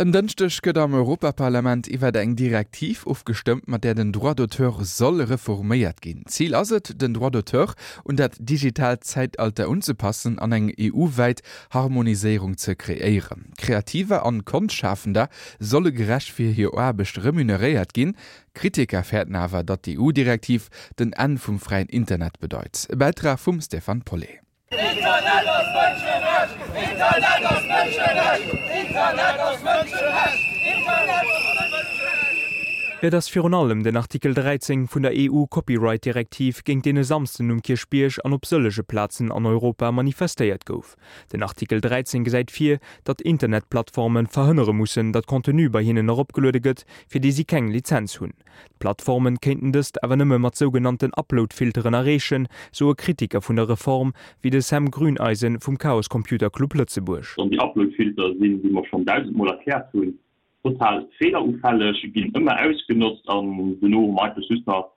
En Dënschdeg gëtt am Europaparlament iwwer eng Direktiv ofgestëmmt, mat där den Droit d'auteur soll reforméiert ginn. Zil ass et, den Droit d'auteur un dat digitaalt Zäitalter unzepassen an eng EU-wäit Harmoniséierung ze kreéieren. Kreativer an Konschtschafender solle gerecht fir hir Aarbecht remuneréiert ginn. Kritiker fäerten awer, datt d'EU-Direktiv den Enn vum fräien Internet bedeit. E Bäitrag vum Stéphane Paulet. Internet ass Mënscherecht! Internet ass Mënscherecht! Internet ass Mënscherecht! Internet ass Mënscherecht! Et ass virun allem den Artikel 13 vun der EU-Copyright-Direktiv, géint deen e Samsden um Kierchbierg an op sëllege Plazen an Europa manifestéiert gouf. Den Artikel 13 gesäit vir, datt Internetplattforme verhënnere mussen, datt Contenu bei hinnen eropgeluede gëtt, fir dee si keng Lizenz hunn. D'Plattformen kéinten dëst awer nëmme mat sougenannten Upload-Filteren erreechen, soe Kritiker vun der Reform, wéi de Sam Grüneisen vum Chaos Computer Club Lëtzebuerg. An déi Upload-Filter sinn, wéi mer schonn dausendmol erkläert hunn, total feelerufälleg, ginn ëmmer ausgenotzt an dono hu mer eigentlech just nach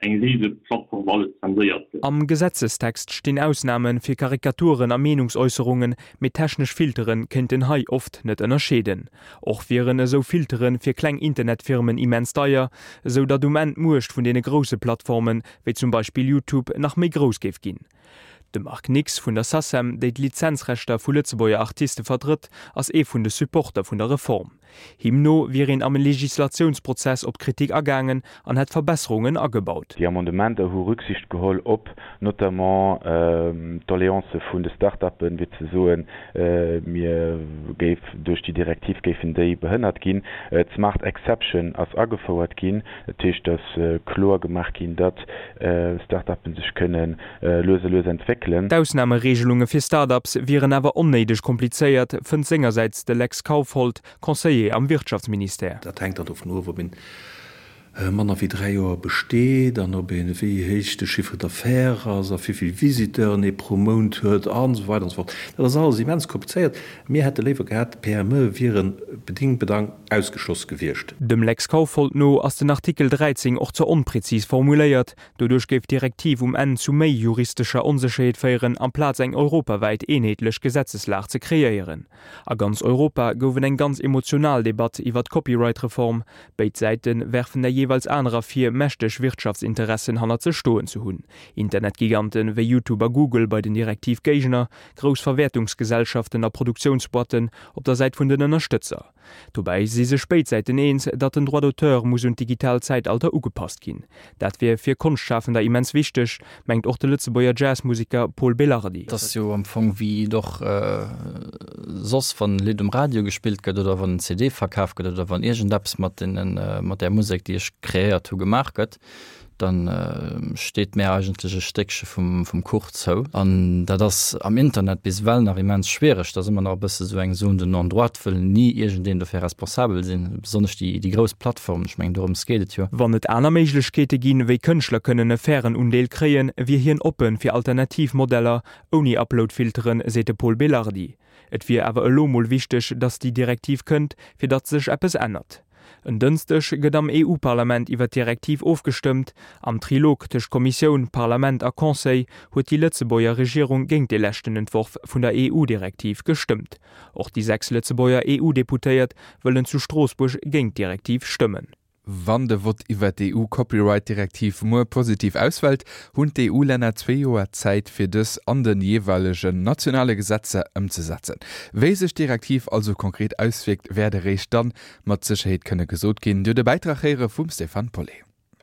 eng rise Plattform, wou alles zenséiert gëtt. Am Gesetzestext stinn Ausname fir Karikaturen a Meenungsäusserungen, mee technesch Filtere kéinten hei oft net ënnerscheeden. Och wieren esou Filtere fir kleng Internetfirmen immens deier, esou datt um Enn d'Muecht vun deene grousse Plattformen, wéi zum Beispill YouTube, nach méi grouss géif ginn. De Marc Nix vun der Sacem, déi d'Lizenzrechter vu Lëtzebuerger Artiste vertrëtt, ass ee vun de Supporter vun der Reform. Him no wier een am Legislatiounsprozess op d'Kritik agaangen an hätt Verbesserungen agebaut. Déi Amendementer hu Rücksicht geholl op notamment d'Doleancë vun de Start-uppen, fir ze soen, Mir géif, duerch déi Direktiv géifen déi behënnert ginn. D'Smart Exception ass agefouert ginn. Dat heescht, dass kloer gemaach ginn, datt Start-uppen sech kënne lues a lues entwéckelen. D'Ausnamereegelunge fir Start-ups wieren awer onnéideg komplizéiert, fënnt sengersäits de Lex Kaufhold, Conseiller am Wirtschaftsministère. Dat hänkt dann dovun of, ob een manner wéi 3 Joer besteet an ob een, wéi héich de Chiffre d'affaires ass a wéi vill Visiteuren ee pro Mount huet an esou weider an esou fort. Dat ass alles immens komplizéiert. Mir hätte léiwer gehat, d'PME wiere bedingt bedang ausgeschloss gewiescht. Dem Lex Kaufhold no ass den Artikel 13 och ze onprezis formuléiert. Doduerch géif d'Direktiv um Enn zu méi juristescher Onsécherheet féieren, amplaz eng europawäit eenheetlech Gesetzeslag ze kreéieren. A ganz Europa gouf et eng ganz emotional Debatt iwwer d'Copyright-Reform. Béid Säite werfen der jeeweils anerer vir, mächteg Wirtschaftsinteressen hannert sech stoen ze hunn. Internetgigante wéi YouTube a Google bei den Direktiv-Géigner, grouss Verwäertungsgesellschaften a Produktiounsboîtten op der Säit vun den Ënnerstëtzer. Dobäi si sech béid Säiten eens, datt den Droit d'auteur muss un d'digitaalt Zäitalter ugepasst ginn. Dat wier fir Konschtschafender immens wichteg, mengt och de Lëtzebuerger Jazzmuseker Pol Belardi. Et ass jo am Fong wéi et och soss, wann e Lidd um Radio gespillt gëtt oder wann en CD verkaf gëtt oder wann iergendeppes mat deenen, mat där Musek, déi ech kreéiert hu gemaach gëtt. Dann steet mär eigentlech e Stéckche vum vum Kuch zou. An dat ass am Internet bis ewell nach immens schwiereg. Dat ass ëmmer nach e bësse sou eng Zone de non-droit, wëll ni iergendeen dofir responsabel sinn, besonnesch déi déi grouss Plattformen. Ech mengen, dorëms geet et jo. Wann et aner Méiglechkeete ginn, wéi Kënschtler kënnen e fairen Undeel kréien, wier hien oppe fir alternativ Modeller, ouni Upload-Filteren, seet de Pol Belardi. Et wier awer elo mol wichteg, datt déi Direktiv kënnt, fir datt sech eppes ännert. En Dënschdeg gëtt am EU-Parlament iwwer d'Direktiv ofgestëmmt. Am Trilog tëscht Kommissioun, Parlament a Conseil huet déi Lëtzebuerger Regierung géint de leschten Entworf vun der EU-Direktiv gestëmmt. Och déi 6 Lëtzebuerger EU-Deputéiert wëllen zu Stroossbuerg géint d'Direktiv stëmmen. Wann de Vott iwwer d'EU-Copyright-Direktiv muer positiv ausfält, hunn d'EU-Länner zwee Joer Zäit, fir dës an de jeeweilegen nationale Gesetzer ëmzesetzen. Wéi sech d'Direktiv also konkret auswierkt, wäert eréischt dann mat Sécherheet kënne gesot ginn. Dir hutt e Bäitrag héiere vum Stéphane Paulet.